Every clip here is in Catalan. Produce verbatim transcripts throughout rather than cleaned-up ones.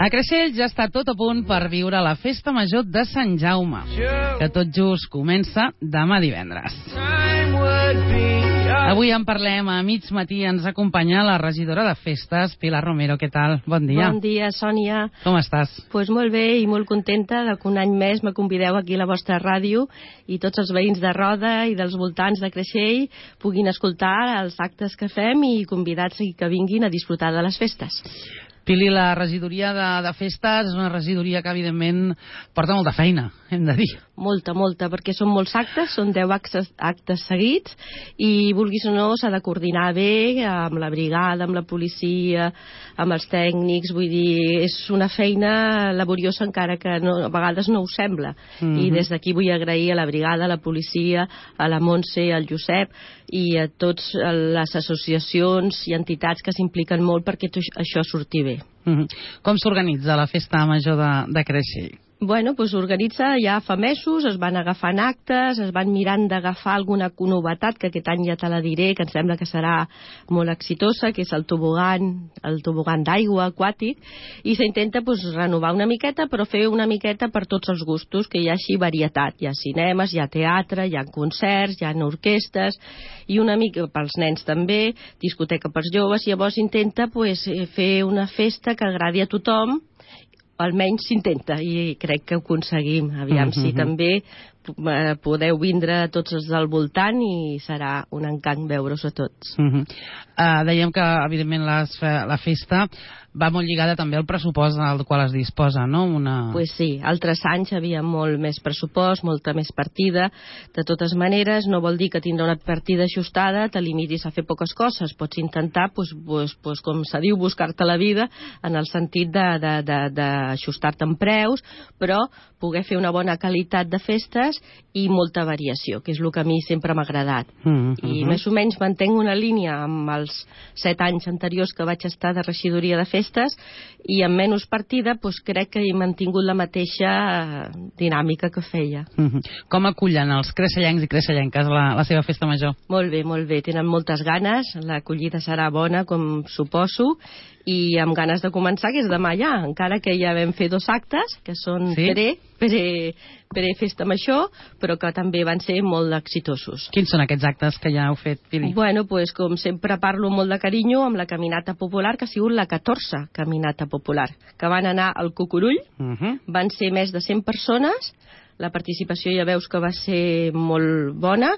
A Creixell ja està tot a punt per viure la Festa Major de Sant Jaume, que tot just comença demà divendres. Avui en parlem a mig matí. Ens acompanya la regidora de Festes, Pilar Romero. Què tal? Bon dia. Bon dia, Sònia. Com estàs? Pues molt bé i molt contenta de que un any més me convideu aquí a la vostra ràdio i tots els veïns de Roda i dels voltants de Creixell puguin escoltar els actes que fem i convidats que vinguin a disfrutar de les festes. Pili, la regidoria de, de festes és una regidoria que, evidentment, porta molta feina, hem de dir. Molta, molta, perquè són molts actes, són deu actes, actes seguits, i vulguis o no s'ha de coordinar bé amb la brigada, amb la policia, amb els tècnics, vull dir, és una feina laboriosa encara que no, a vegades no ho sembla. Mm-hmm. I des d'aquí vull agrair a la brigada, a la policia, a la Montse, al Josep i a totes les associacions i entitats que s'impliquen molt perquè això surti bé. Mm-hmm. Com s'organitza la Festa Major de, de Creixell? Bueno, doncs s'organitza ja fa mesos, es van agafant actes, es van mirant d'agafar alguna novetat, que aquest any ja te la diré, que em sembla que serà molt exitosa, que és el tobogan, el tobogan d'aigua aquàtic, i s'intenta doncs, renovar una miqueta, però fer una miqueta per tots els gustos, que hi ha així varietat. Hi ha cinemes, hi ha teatre, hi ha concerts, hi ha orquestes, i una mica pels nens també, discoteca pels joves. Llavors intenta pues, fer una festa que agradi a tothom, almenys s'intenta, i crec que ho aconseguim. Aviam mm-hmm. si també podeu vindre tots els del voltant i serà un encant veure-us a tots. Mm-hmm. uh, Dèiem que, evidentment, les, la festa va molt lligada també al pressupost al qual es disposa, no? Una... Pues sí, altres anys hi havia molt més pressupost, molta més partida. De totes maneres, no vol dir que tindrà una partida ajustada, te limitis a fer poques coses. Pots intentar, pues, pues, pues, com se diu, buscar-te la vida en el sentit d'ajustar-te en preus, però poder fer una bona qualitat de festes i molta variació, que és el que a mi sempre m'ha agradat. Mm-hmm. I més o menys mantenc una línia amb els set anys anteriors que vaig estar de regidoria de festes, i amb menys partida doncs crec que he mantingut la mateixa dinàmica que feia. Mm-hmm. Com acullen els crecellencs i crecellenques la, la seva festa major? Molt bé, molt bé. Tenen moltes ganes, l'acollida serà bona, com suposo, i amb ganes de començar, que és demà ja, encara que ja vam fer dos actes, que són sí? pre, pre, pre festa major, però que també van ser molt exitosos. Quins són aquests actes que ja heu fet, Pili? Bueno, pues, com sempre parlo molt de carinyo, amb la caminata popular, que ha sigut la catorze caminata popular, que van anar al Cucurull, uh-huh. van ser més de cent persones, la participació ja veus que va ser molt bona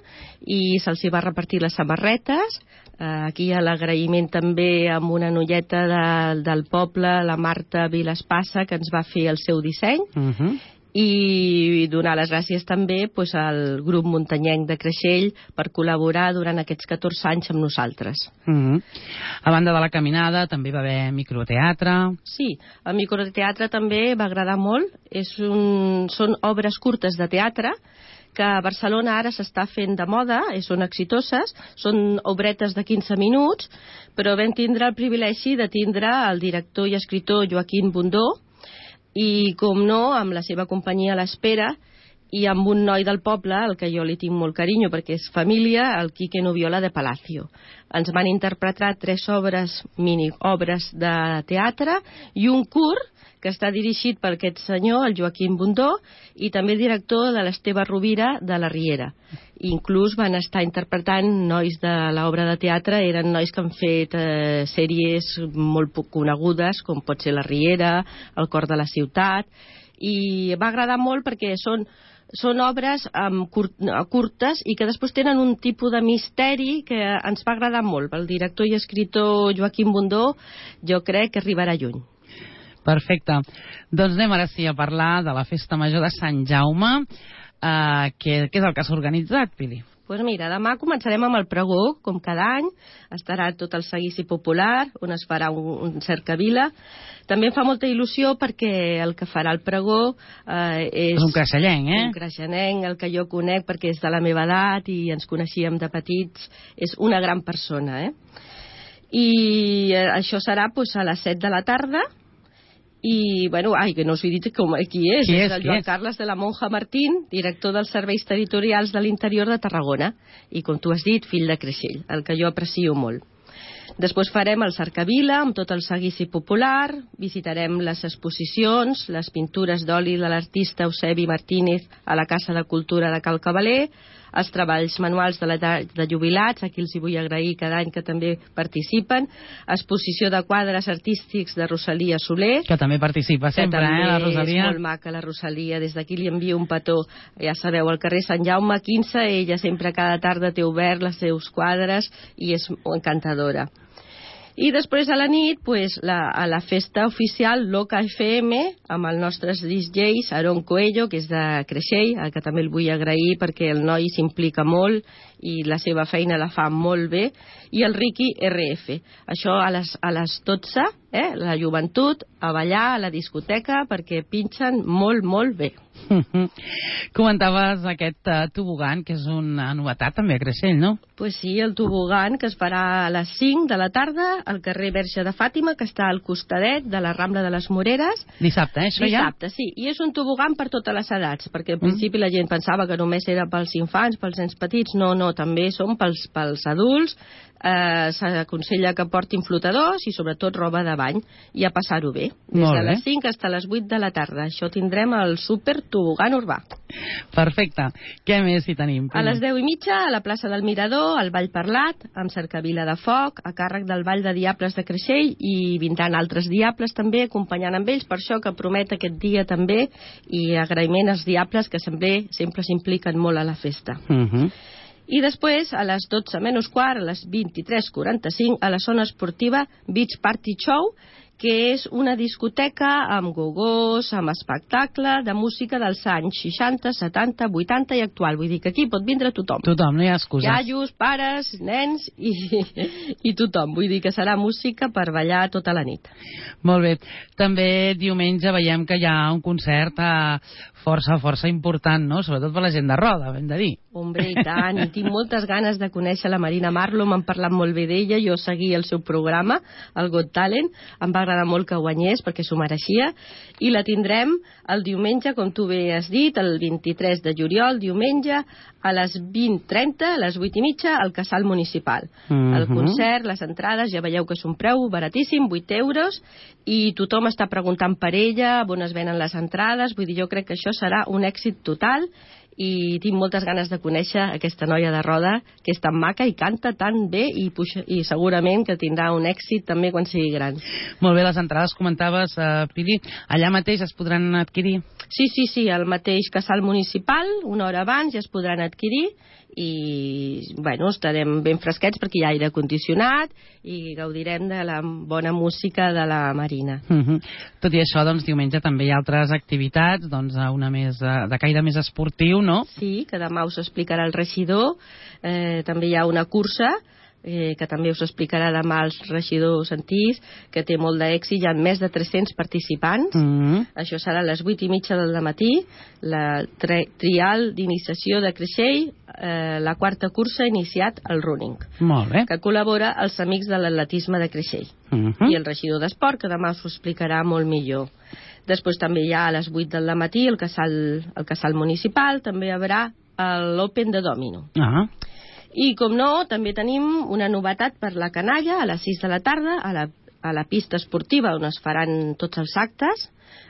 i se'ls va repartir les samarretes. Uh, aquí hi ha l'agraïment també amb una noieta de, del poble, la Marta Vilaspassa, que ens va fer el seu disseny. Uh-huh. I donar les gràcies també pues, al grup muntanyenc de Creixell per col·laborar durant aquests catorze anys amb nosaltres. Mm-hmm. A banda de la caminada també va haver microteatre. Sí, el microteatre també va agradar molt. És un... Són obres curtes de teatre que a Barcelona ara s'està fent de moda, són exitoses, són obretes de quinze minuts, però vam tindre el privilegi de tindre el director i escriptor Joaquim Bundó, i, com no, amb la seva companyia a l'Espera i amb un noi del poble, al que jo li tinc molt carinyo perquè és família, el Quique Noviola de Palacio. Ens van interpretar tres obres, mini-obres de teatre i un curt que està dirigit per aquest senyor, el Joaquim Bundó, i també director de l'Esteve Rovira de la Riera. Inclús van estar interpretant nois de l'obra de teatre, eren nois que han fet eh, sèries molt poc conegudes, com pot ser La Riera, El cor de la ciutat, i va agradar molt perquè són són obres um, curt, curtes i que després tenen un tipus de misteri que ens va agradar molt. El director i escriptor Joaquim Bundó jo crec que arribarà lluny. Perfecte. Doncs anem ara sí a parlar de la Festa Major de Sant Jaume. Uh, què, què és el que s'ha organitzat, Pili? Doncs pues mira, demà començarem amb el pregó, com cada any. Estarà tot el seguici popular, on es farà un, un cercavila. També em fa molta il·lusió perquè el que farà el pregó eh, és... És un creixellenc, eh? Un creixellenc, el que jo conec perquè és de la meva edat i ens coneixíem de petits. És una gran persona, eh? I eh, això serà pues, a les set de la tarda. I, bueno, ai, que no us he dit com, qui és. Qui és, és el Joan Carles de la Monja Martín, director dels Serveis Territorials de l'Interior de Tarragona. I, com tu has dit, fill de Creixell, el que jo aprecio molt. Després farem el Cercavila amb tot el seguici popular, visitarem les exposicions, les pintures d'oli de l'artista Eusebi Martínez a la Casa de Cultura de Cal Cavaler, els treballs manuals de l'edat de jubilats, a qui els hi vull agrair cada any que també participen, exposició de quadres artístics de Rosalia Soler, que també participa sempre, que també eh, la Rosalia. És molt maca la Rosalia, des d'aquí li envio un petó, ja sabeu, al carrer Sant Jaume quinze, ella sempre cada tarda té obert els seus quadres i és encantadora. I després a la nit, pues, la, a la festa oficial Loca F M, amb el nostre D J Aaron Coelho, que és de Creixell, al que també el vull agrair perquè el noi s'implica molt i la seva feina la fa molt bé, i el Ricky R F. Això a les, a les dotze, eh, la joventut, a ballar a la discoteca, perquè pinxen molt, molt bé. Comentaves aquest uh, tobogan, que és una novetat també a Creixell, no? Pues sí, el tobogan que es farà a les cinc de la tarda al carrer Verge de Fàtima, que està al costadet de la Rambla de les Moreres. Dissabte, eh, això Dissabte, ja? sí. I és un tobogan per totes les edats, perquè al principi mm. la gent pensava que només era pels infants, pels nens petits. No, no, també són pels, pels adults. Eh, s'aconsella que portin flotadors i sobretot roba de bany i a passar-ho bé. Des de les cinc fins a les vuit de la tarda. Això tindrem el super tobogan urbà. Perfecte. Què més hi tenim? A les deu i mitja, a la plaça del Mirador, el Ball Parlat, amb Cercavila de Foc, a càrrec del Ball de Diables de Creixell, i vindran altres diables també, acompanyant amb ells, per això que promet aquest dia també, i agraïment als diables que sempre sempre s'impliquen molt a la festa. Uh -huh. I després, a les dotze menys quart, a les vint-i-tres quaranta-cinc, a la zona esportiva Beach Party Show, que és una discoteca amb gogós, amb espectacle de música dels anys seixanta, setanta, vuitanta i actual. Vull dir que aquí pot vindre tothom. Tothom, no hi ha excuses. Iaios, pares, nens i, i tothom. Vull dir que serà música per ballar tota la nit. Molt bé. També diumenge veiem que hi ha un concert eh, força, força important, no? Sobretot per la gent de Roda, hem de dir. Hombre, i tant. I tinc moltes ganes de conèixer la Marina Marlo. M'han parlat molt bé d'ella. Jo seguia el seu programa, el Got Talent. Em va agradar molt que guanyés perquè s'ho mereixia, i la tindrem el diumenge, com tu bé has dit, el vint-i-tres de juliol, diumenge, a les vint trenta, a les vuit i mitja, al Casal Municipal. Uh-huh. El concert, les entrades, ja veieu que és un preu baratíssim, vuit euros, i tothom està preguntant per ella, on es venen les entrades. Vull dir, jo crec que això serà un èxit total, i tinc moltes ganes de conèixer aquesta noia de Roda, que és tan maca i canta tan bé, i, puxa, i segurament que tindrà un èxit també quan sigui gran. Molt bé, les entrades comentaves, uh, Pili, allà mateix es podran adquirir? Sí, sí, sí, al mateix Casal Municipal, una hora abans ja es podran adquirir, i bueno, estarem ben fresquets perquè hi ha aire condicionat i gaudirem de la bona música de la Marina. Uh-huh. Tot i això, doncs, diumenge també hi ha altres activitats, doncs, una més de caire més esportiu, no? Sí, que demà us explicarà el regidor. Eh, també hi ha una cursa eh, que també us explicarà demà el regidor Santís, que té molt d'èxit, hi ha més de tres-cents participants. Mm-hmm. Això serà a les vuit i mitja del matí, la tri trial d'iniciació de Creixell, eh, la quarta cursa ha iniciat el running, molt bé, que col·labora els amics de l'atletisme de Creixell. Mm-hmm. I el regidor d'Esport, que demà us ho explicarà molt millor. Després també hi ha a les vuit del matí el casal, el casal municipal, també hi haurà l'Open de Domino. Ah. I, com no, també tenim una novetat per la canalla a les sis de la tarda, a la, a la pista esportiva on es faran tots els actes,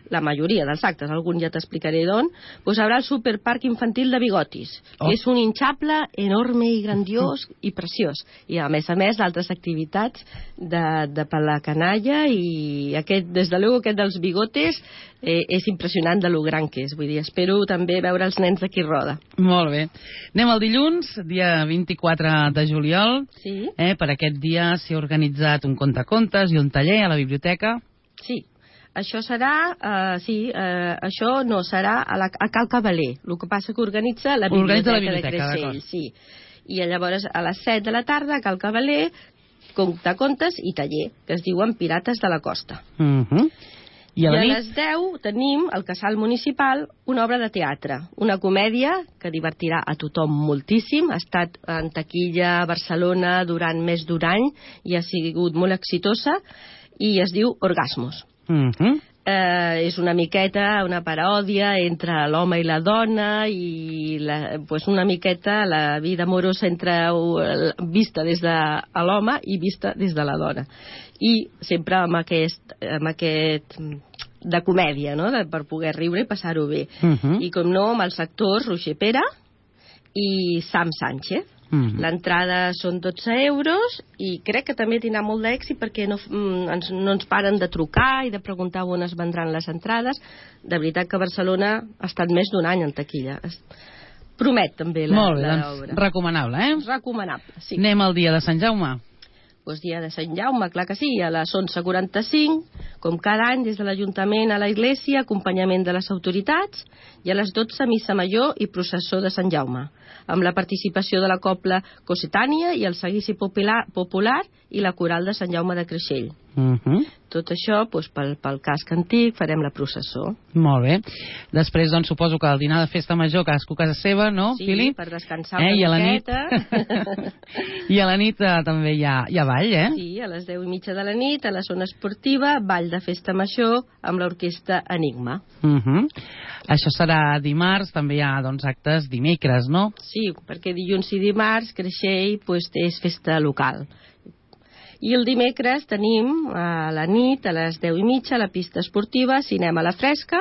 la majoria dels actes, algun ja t'explicaré d'on, doncs haurà el superparc infantil de Bigotis, oh. que és un hinxable enorme i grandiós i preciós. I, a més a més, d'altres activitats de, de per la canalla, i aquest, des de luego aquest dels bigotes eh, és impressionant de lo gran que és. Vull dir, espero també veure els nens d'aquí Roda. Molt bé. Anem al dilluns, dia vint-i-quatre de juliol. Sí. Eh, per aquest dia s'ha organitzat un contacontes i un taller a la biblioteca. Sí. Això serà, uh, sí, uh, això no, serà a, la, a Cal Cavaler. El que passa que organitza la Biblioteca, la biblioteca de Creixell. Sí. I llavors a les set de la tarda a Cal Cavaler, contacontes i taller, que es diuen Pirates de la Costa. Uh-huh. I a, I a les deu tenim al Casal Municipal una obra de teatre, una comèdia que divertirà a tothom moltíssim. Ha estat en taquilla a Barcelona durant més d'un any i ha sigut molt exitosa, i es diu Orgasmos. Uh-huh. Eh, és una miqueta una paròdia entre l'home i la dona i la, pues una miqueta la vida amorosa entre vista des de l'home i vista des de la dona, i sempre amb aquest, amb aquest de comèdia, no? De, per poder riure i passar-ho bé. Uh -huh. I com no, amb els actors Roger Pera i Sam Sánchez. Uh -huh. L'entrada són dotze euros i crec que també tindrà molt d'èxit perquè no, ens, no ens paren de trucar i de preguntar on es vendran les entrades. De veritat que Barcelona ha estat més d'un any en taquilla. Promet també la, molt bé, la doncs, obra. Recomanable, eh? Recomanable, sí. Anem al dia de Sant Jaume. Pues dia de Sant Jaume, clar que sí, a les onze quaranta-cinc, com cada any, des de l'Ajuntament a la Iglésia, acompanyament de les autoritats, i a les dotze, missa major i processó de Sant Jaume, amb la participació de la Cobla Cossetània i el Seguici Popular, popular i la Coral de Sant Jaume de Creixell. Uh -huh. Tot això, doncs, pel, pel casc antic, farem la processó. Molt bé. Després, doncs, suposo que el dinar de festa major, cadascú a casa seva, no, sí, Fili? Sí, per descansar eh? una I a la miqueta. Nit... I a la nit eh, també hi ha, hi ha ball, eh? Sí, a les deu i mitja de la nit, a la zona esportiva, ball de festa major amb l'orquestra Enigma. Uh -huh. Això serà dimarts, també hi ha, doncs, actes dimecres, no? Sí, perquè dilluns i dimarts Creixell pues, és festa local. I el dimecres tenim a la nit, a les deu i mitja, la pista esportiva, cinema a la fresca,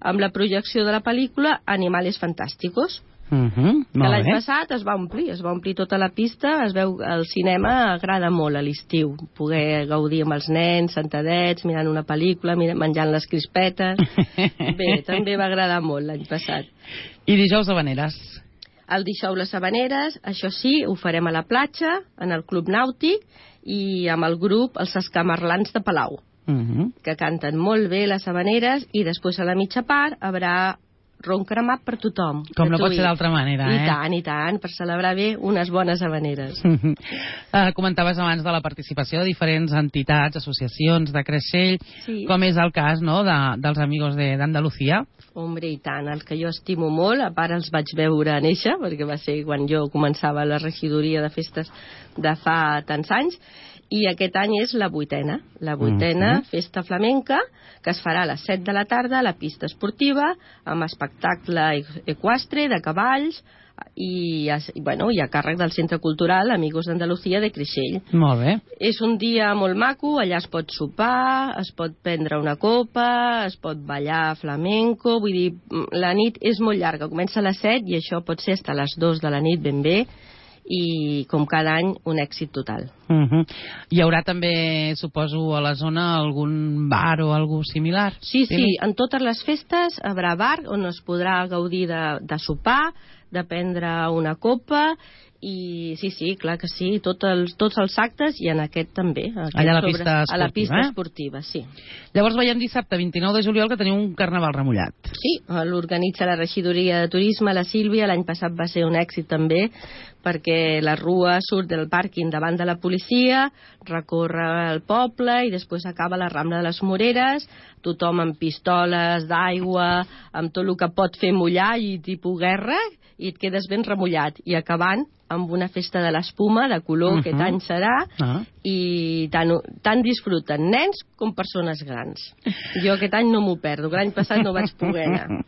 amb la projecció de la pel·lícula Animales Fantásticos. Uh -huh, que l'any passat es va omplir, es va omplir tota la pista, es veu el cinema agrada molt a l'estiu, poder gaudir amb els nens, sentadets, mirant una pel·lícula, menjant les crispetes. Bé, també va agradar molt l'any passat. I dijous Havaneres. El dijous les Havaneres, això sí, ho farem a la platja, en el Club Nàutic, i amb el grup Els Escamarlans de Palau, uh -huh. que canten molt bé les Havaneres, i després a la mitja part haurà ron cremat per tothom. Com no pot ser d'altra manera, eh? I tant, i tant, per celebrar bé unes bones Havaneres. uh, comentaves abans de la participació de diferents entitats, associacions de Creixell, sí. Com és el cas, no?, de, dels Amigos d'Andalucía. Hombre, i tant, els que jo estimo molt, a part els vaig veure néixer, perquè va ser quan jo començava la regidoria de festes de fa tants anys, i aquest any és la vuitena, la vuitena uh -huh. festa flamenca, que es farà a les set de la tarda a la pista esportiva, amb espectacle equestre, de cavalls, i, i, bueno, i a càrrec del Centre Cultural Amigos d'Andalucía de Creixell. Molt bé. És un dia molt maco, allà es pot sopar, es pot prendre una copa, es pot ballar flamenco, vull dir, la nit és molt llarga, comença a les set i això pot ser fins a les dues de la nit ben bé, i com cada any un èxit total. Uh -huh. Hi haurà també, suposo, a la zona algun bar o algú similar? Sí, sí, sí, en totes les festes hi haurà bar on es podrà gaudir de, de sopar, de prendre una copa, i sí, sí, clar que sí, tot els, tots els actes, i en aquest també. Aquest allà a la sobre, pista esportiva, a la pista eh? esportiva, sí. Llavors veiem dissabte vint-i-nou de juliol que teniu un carnaval remullat. Sí, l'organitza la regidoria de turisme, la Sílvia, l'any passat va ser un èxit també, perquè la rua surt del pàrquing davant de la policia, recorre el poble i després acaba la Rambla de les Moreres, tothom amb pistoles d'aigua, amb tot el que pot fer mullar i tipus guerra, i et quedes ben remullat, i acabant amb una festa de l'espuma de color, uh -huh. Aquest any serà, uh -huh. i tant, tant disfruten nens com persones grans. Jo aquest any no m'ho perdo, l'any passat no vaig poder anar.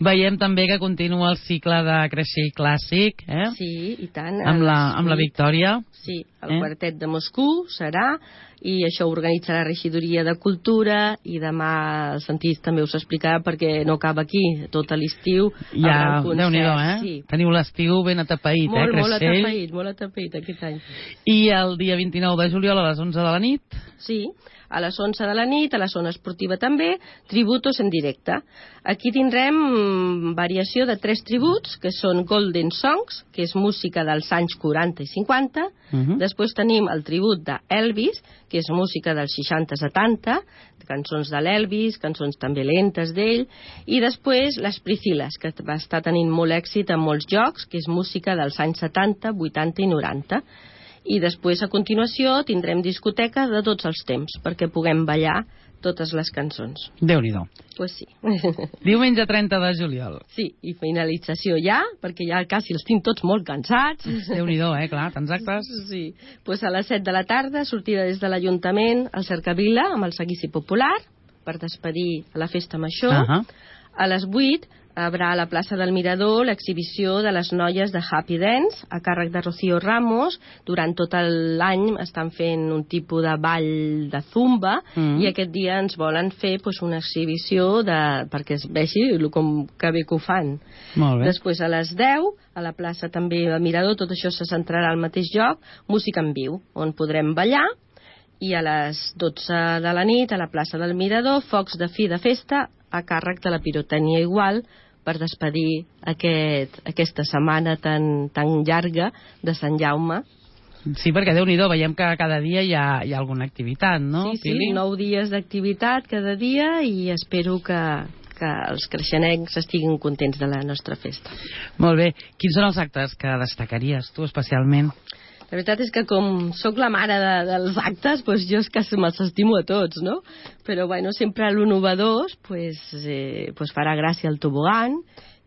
Veiem també que continua el cicle de Creixell Clàssic, eh? Sí, i tant. Amb la, amb la Victòria. Sí, el eh? quartet de Moscou serà, i això ho organitza la regidoria de Cultura, i demà el Santís també us explicarà, perquè no acaba aquí, tot l'estiu. Ja, Déu-n'hi-do, eh? Sí. Teniu l'estiu ben atapeït, molt, eh, Creixell? Molt atapeït, molt atapeït aquest any. I el dia vint-i-nou de juliol a les onze de la nit? Sí, a les onze de la nit, a la zona esportiva també, tributos en directe. Aquí tindrem variació de tres tributs, que són Golden Songs, que és música dels anys quaranta i cinquanta. Uh -huh. Després tenim el tribut d'Elvis, que és música dels seixanta setanta, cançons de l'Elvis, cançons també lentes d'ell, i després les Prisciles, que va estar tenint molt èxit en molts jocs, que és música dels anys setanta, vuitanta i noranta. I després, a continuació, tindrem discoteca de tots els temps, perquè puguem ballar totes les cançons. Déu-n'hi-do. Pues sí. Diumenge trenta de juliol. Sí, i finalització ja, perquè ja quasi els tinc tots molt cansats. Déu-n'hi-do, eh, clar, tants actes. Sí, pues a les set de la tarda, sortida des de l'Ajuntament al Cercavila, amb el Seguici Popular, per despedir la festa major. Uh -huh. A les vuit haurà a la plaça del Mirador l'exhibició de les noies de Happy Dance, a càrrec de Rocío Ramos. Durant tot l'any estan fent un tipus de ball de zumba, mm. i aquest dia ens volen fer pues, una exhibició de, perquè es vegi com que bé que ho fan. Molt bé. Després, a les deu, a la plaça també del Mirador, tot això se centrarà al mateix lloc, música en viu, on podrem ballar, i a les dotze de la nit, a la plaça del Mirador, focs de fi de festa a càrrec de la pirotècnia igual, per despedir aquest, aquesta setmana tan, tan llarga de Sant Jaume. Sí, perquè Déu-n'hi-do, veiem que cada dia hi ha, hi ha alguna activitat, no? Sí, sí, Pili? nou dies d'activitat cada dia, i espero que, que els creixenencs estiguin contents de la nostra festa. Molt bé. Quins són els actes que destacaries tu especialment? La veritat és que com sóc la mare de, dels actes, doncs jo és que me'ls estimo a tots, no? Però bueno, sempre lo novedós pues, eh, pues farà gràcia el tobogan,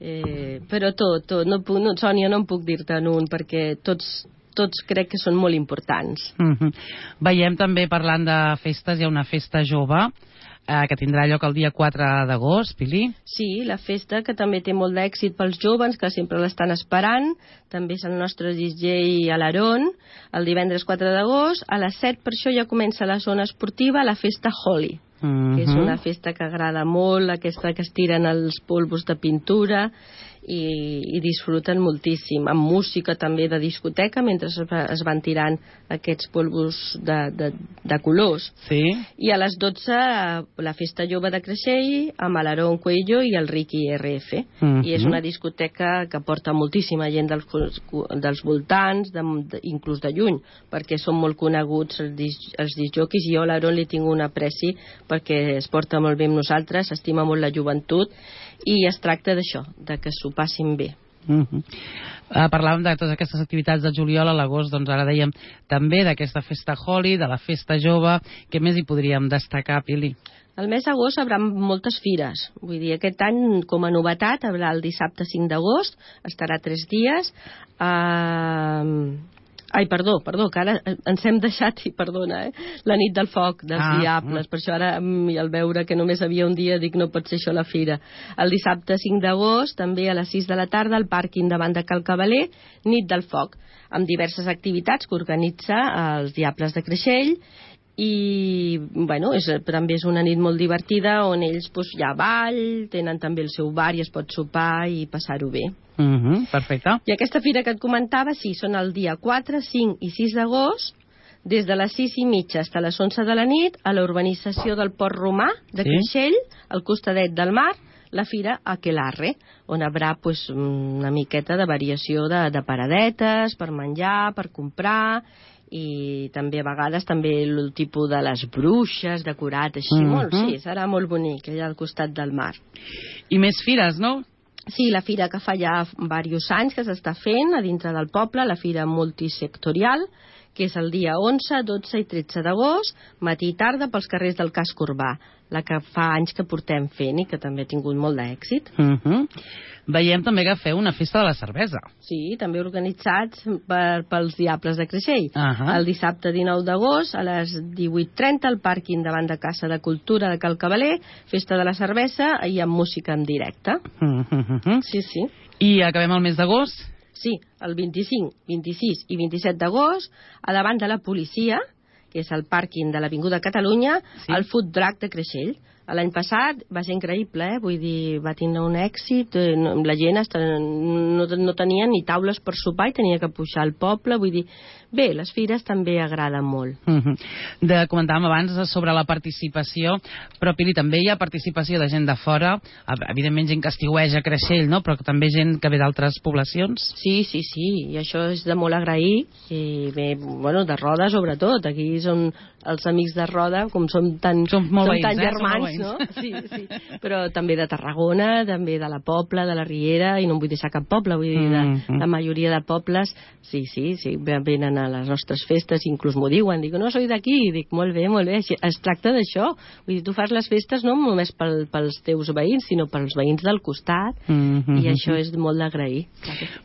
eh, però tot, tot. No, no, Sònia, no em puc dir-te en un, perquè tots, tots crec que són molt importants. Mm-hmm. Veiem també, parlant de festes, hi ha una festa jove, eh, que tindrà lloc el dia quatre d'agost, Pili. Sí, la festa que també té molt d'èxit pels joves, que sempre l'estan esperant. També és el nostre D J Alarón, el divendres quatre d'agost. A les set, per això ja comença la zona esportiva, la festa Holi, mm-hmm. que és una festa que agrada molt, aquesta que es tiren els polvos de pintura, i, i disfruten moltíssim, amb música també de discoteca, mentre es, es van tirant aquests polvos de, de, de colors. Sí. I a les dotze la festa jove de Creixell, amb l'Aaron Cuello i el Ricky R F. Mm-hmm. I és una discoteca que porta moltíssima gent dels, dels voltants, de, de, inclús de lluny, perquè són molt coneguts els, els disjòquis, i jo a l'Aaron li tinc un apreci perquè es porta molt bé amb nosaltres, estima molt la joventut, i es tracta d'això, de que s'ho passin bé. Uh-huh. Uh, parlàvem de totes aquestes activitats de juliol, a l'agost, doncs ara dèiem també d'aquesta festa Holi, de la festa jove. Què més hi podríem destacar, Pili? El mes d'agost hi haurà moltes fires. Vull dir, aquest any, com a novetat, hi haurà el dissabte cinc d'agost, estarà tres dies. Uh... Ai, perdó, perdó, que ara ens hem deixat, i perdona, eh? La nit del foc dels ah, diables, mm. per això ara al veure que només havia un dia dic no pot ser això la fira. El dissabte cinc d'agost, també a les sis de la tarda, al pàrquing davant de Cal Cavaler, nit del foc, amb diverses activitats que organitza els Diables de Creixell, i bueno, és, també és una nit molt divertida on ells pues, hi ha ball, tenen també el seu bar i es pot sopar i passar-ho bé. Uh-huh, perfecte. I aquesta fira que et comentava, sí, són el dia quatre, cinc i sis d'agost, des de les sis i mitja fins a les onze de la nit, a la urbanització del Port Romà de sí? Creixell, al costadet del mar, la fira Aquelarre, on hi haurà pues, una miqueta de variació de, de paradetes, per menjar, per comprar, i també a vegades també el tipus de les bruixes decorat així, uh-huh. molt, sí, serà molt bonic allà al costat del mar. I més fires, no? Sí, la fira que fa ja diversos anys que s'està fent a dintre del poble, la fira multisectorial, que és el dia onze, dotze i tretze d'agost, matí i tarda pels carrers del casc urbà, la que fa anys que portem fent i que també ha tingut molt d'èxit. Uh-huh. Veiem també que feu una festa de la cervesa. Sí, també organitzats per, pels Diables de Creixell. Uh-huh. El dissabte dinou d'agost, a les divuit trenta, al pàrquing davant de Casa de Cultura de Cal Cavaler, festa de la cervesa i amb música en directe. Uh-huh. Sí, sí. I acabem el mes d'agost? Sí, el vint-i-cinc, vint-i-sis i vint-i-set d'agost, a davant de la policia, que és el pàrquing de l'Avinguda Catalunya, sí? El Food Truck de Creixell. L'any passat va ser increïble, eh? Vull dir, va tindre un èxit, eh, no, la gent hasta, no, no tenia ni taules per sopar i tenia que pujar al poble, vull dir, bé, les fires també agraden molt. Uh-huh. De, comentàvem abans sobre la participació, però Pili, també hi ha participació de gent de fora, evidentment gent que estiueja a Creixell, no? Però també gent que ve d'altres poblacions? Sí, sí, sí, i això és de molt agrair, i bé, bueno, de Roda sobretot, aquí són els amics de Roda, com som tan, som som veïns, tan eh? germans, no? Sí, sí. Però també de Tarragona, també de la Pobla, de la Riera, i no em vull deixar cap poble, vull dir, de, mm-hmm. la majoria de pobles, sí, sí, sí, venen a les nostres festes, inclús m'ho diuen, dic, no soy d'aquí, i dic, molt bé, molt bé, es tracta d'això, vull dir, tu fas les festes no només pel, pels teus veïns, sinó pels veïns del costat, mm-hmm. i això és molt d'agrair.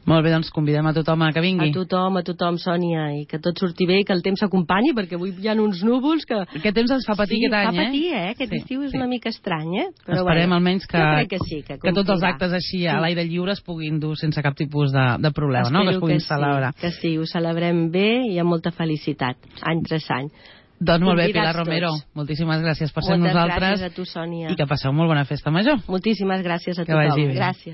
Molt bé, doncs convidem a tothom a que vingui. A tothom, a tothom, Sònia, i que tot surti bé, i que el temps s'acompanyi, perquè avui hi ha uns núvols que... Aquest temps ens fa patir sí, aquest any, eh? Sí, fa patir, eh? Aquest sí, estiu és sí. una mica estrany, eh? Però esperem bueno, almenys que, jo crec que, sí, que, que tots els actes així a l'aire lliure es puguin dur sense cap tipus de, de problema, Espero no? Que es puguin que celebrar. Sí, que sí, ho celebrem bé i amb molta felicitat, any tras any. Doncs molt bé, Convidats Pilar Romero, tots. moltíssimes gràcies per ser amb Moltes nosaltres. gràcies a tu, Sònia. I que passeu molt bona festa major. Moltíssimes gràcies a Que tothom. vagi bé. Gràcies.